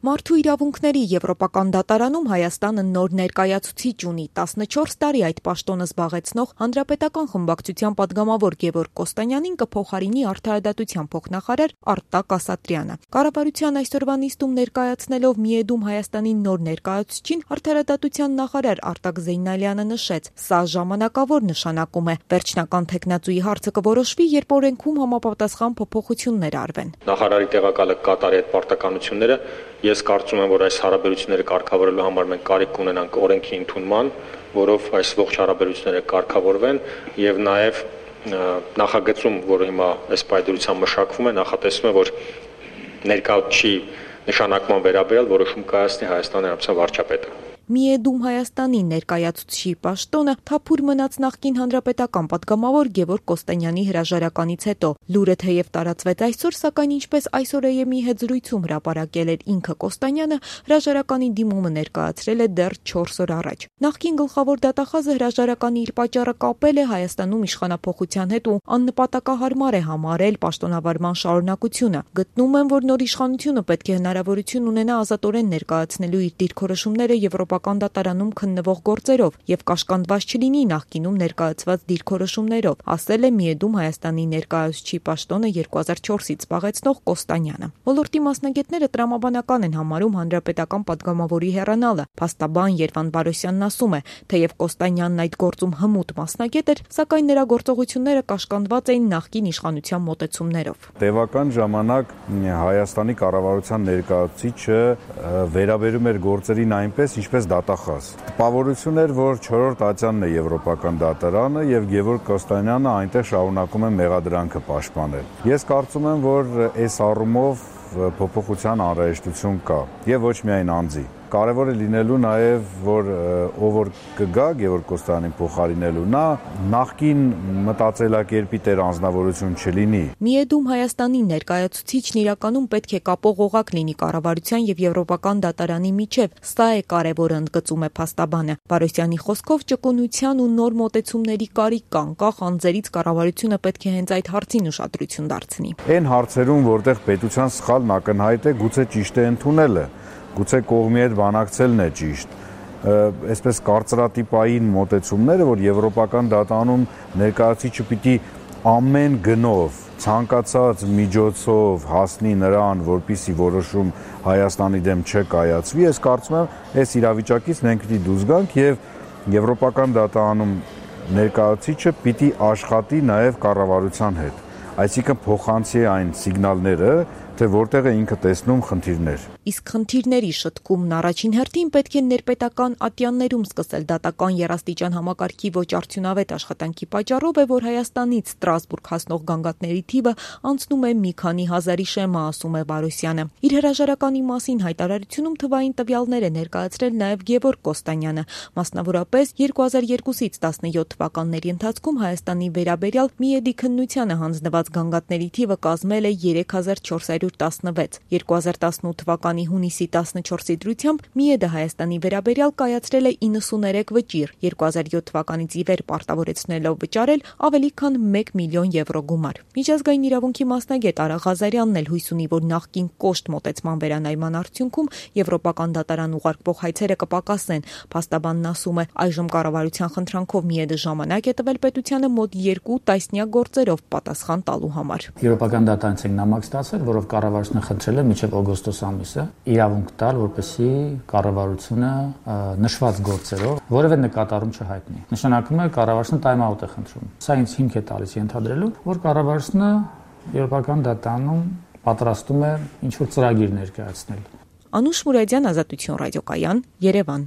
Մարդու իրավունքների Եվրոպական դատարանում Հայաստանը նոր ներկայացուցիչ ունի 14 տարի այդ պաշտոնը զբաղեցնող Հանրապետական խմբակցության պատգամավոր Գևորգ Կոստանյանին կփոխարինի Արդարադատության փոխնախարար Արտակ Ասատրյանը։ Կառավարության այսօրվա նիստում ներկայացնելով Միեդում Հայաստանի նոր ներկայացուցչին Արդարադատության նախարար Արտակ Զեյնալյանը նշեց, սա ժամանակավոր նշանակում է։ Վերջնական թեկնածուի հարցը կորոշվի, երբ օրենքում համապատասխան փոփոխություններ արվեն։ Նախարարի տեղակալը կատարի այդ պարտականությունները, ես կարծում եմ, որ այս հարաբերությունները կարգավորելու համար մենք կարիք ունենանք օրենքի ընդունման, որով այս ողջ հարաբերությունները կարգավորվեն եւ նաեւ նախագծում, որը հիմա այս պայդրությամբ մշակվում է, նախատեսվում է, որ ներկայացուցչի նշանակման վերաբերյալ որոշում կայացնի Հայաստանի Հանրապետության վարչապետը։ Միեդում Հայաստանի ներկայացուցչի պաշտոնը թափուր մնաց նախկին հանրապետական պատգամավոր Գևորգ Կոստանյանի հրաժարականից հետո։ Լուրը թեև տարածվեց այսօր, սակայն ինչպես այսօր ԵՄ-ի հետ զրույցում հրապարակել էր ինքը Կոստանյանը, հրաժարականի դիմումը ներկայացրել է դեռ 4 օր առաջ։ Նախկին գլխավոր դատախազը հրաժարականի իր պատճառը կապել է Հայաստանում իշխանափոխության հետ ու աննպատակահարմար է համարել պաշտոնավարման շարունակությունը։ Գտնում եմ, որ նոր իշխանությունը պետք է հնարավորություն ունենա ազատորեն ներկայացնելու իր դիրքորոշումները Եվրոպական դատարանում քննվող գործերով եւ կաշկանդված չլինի նախկինում ներկայացված դիրքորոշումներով, ասել է Միեդում Հայաստանի ներկայացուցչի պաշտոնը 2004-ից զբաղեցնող Կոստանյանը։ Ոլորտի մասնագետները տրամաբանական են համարում հանրապետական պատգամավորի հեռանալը։ Փաստաբան Երվան Բարոսյանն ասում է, թեև Կոստանյանն այդ գործում հմուտ մասնագետ էր, սակայն նրա գործողությունները կաշկանդված էին նախկին իշխանության մոտեցումներով։ Տևական ժամանակ Հայաստանի կառավարության ներկայացուցիչը վերաբերում էր գործերին այնպես, ինչպես դատախազ։ Տպավորություն էր, որ 4-րդ ատյանն է Եվրոպական դատարանը եւ Գևորգ Կոստանյանը այնտեղ շարունակում է մեղադրանքը պաշտպանել։ Ես կարծում եմ, որ այս առումով փոփոխության անհրաժեշտություն կա եւ ոչ միայն անձի։ Կարևոր է լինելու նաև, որ ով որ կգա Գևորգ Կոստանյանին փոխարինելու, նա նախկին մտածելակերպի տեր անձնավորություն չլինի։ Միեդում Հայաստանի ներկայացուցիչն իրականում պետք է կապող օղակ լինի կառավարության եւ Եվրոպական դատարանի միջև։ Սա է կարևորը, ընդգծում է փաստաբանը։ Բարոսյանի խոսքով ճկունության ու նոր մոտեցումների կարիք կա, անկախ անձերից կառավարությունը պետք է հենց այդ հարցին ուշադրություն դարձնի։ Այն հարցերում, որտեղ պետության սխալն ակնհայտ է, գուցե ճիշտ է ընդունելը, գուցե կողմի հետ բանակցելն է ճիշտ։ Այսպես կարծրատիպային մոտեցումները, որ Եվրոպական դատարանում ներկայացուցիչը պիտի ամեն գնով, ցանկացած միջոցով հասնի նրան, որպիսի որոշում Հայաստանի դեմ չկայացվի, ես կարծում եմ, այս իրավիճակից մենք պիտի դուրս գանք եւ Եվրոպական դատարանում ներկայացուցիչը պիտի աշխատի նաեւ կառավարության հետ։ Այսինքն փոխանցի այն սիգնալները, թե որտեղ է ինքը տեսնում խնդիրներ։ Իսկ խնդիրների շտկումն առաջին հերթին պետք է ներպետական ատյաններում սկսել դատական երաստիճան համակարգի ոչ արդյունավետ աշխատանքի պատճառով է, որ Հայաստանից Ստրասբուրգ հասնող գանգատների թիվը անցնում է մի քանի հազարի շեմը, ասում է Բարոսյանը։ Իր հրաժարականի մասին հայտարարությունում թվային տվյալներ է ներկայացրել նաև Գևորգ Կոստանյանը, մասնավորապես 2002-ից 17 թվականների ընթացքում Հայաստանի վերաբերյալ Միեդի քննությանը հանձնված գանգատների թիվը կազմել է 3416։ 2018 թվականի հունիսի 14-ի դրությամբ Միեդը Հայաստանի վերաբերյալ կայացրել է 93 վճիռ, 2007 թվականից ի վեր պարտավորեցնելով վճարել ավելի քան 1 միլիոն եվրո գումար։ Միջազգային իրավունքի մասնագետ Արա Ղազարյանն էլ հույս ունի, որ նախկին կոշտ մոտեցման վերանայման արդյունքում Եվրոպական դատարան ուղարկվող հայցերը կպակասեն։ Փաստաբանն ասում է, այժմ կառավարության խնդրանքով Միեդը ժամանակ է տվել պետությանը մոտ 2 տասնյակ գործերով պատասխան տալու համար։ Եվրոպական դատարանից ենք նամակ ստացել, որով կառավարությունը խնդրել է մինչև օգոստոս ամիսը իրավունք տալ, որպեսզի կառավարությունը նշված գործերով որևէ նկատառում չհայտնի։ Նշանակում է կառավարությունը time-out է խնդրում։ Սա ինձ հիմք է տալիս ենթադրելու, որ կառավարությունը Եվրոպական դատարանում պատրաստում է ինչ-որ ծրագիր ներկայացնել։ Անուշ Մուրադյան, Ազատություն ռադիոկայան, Երևան։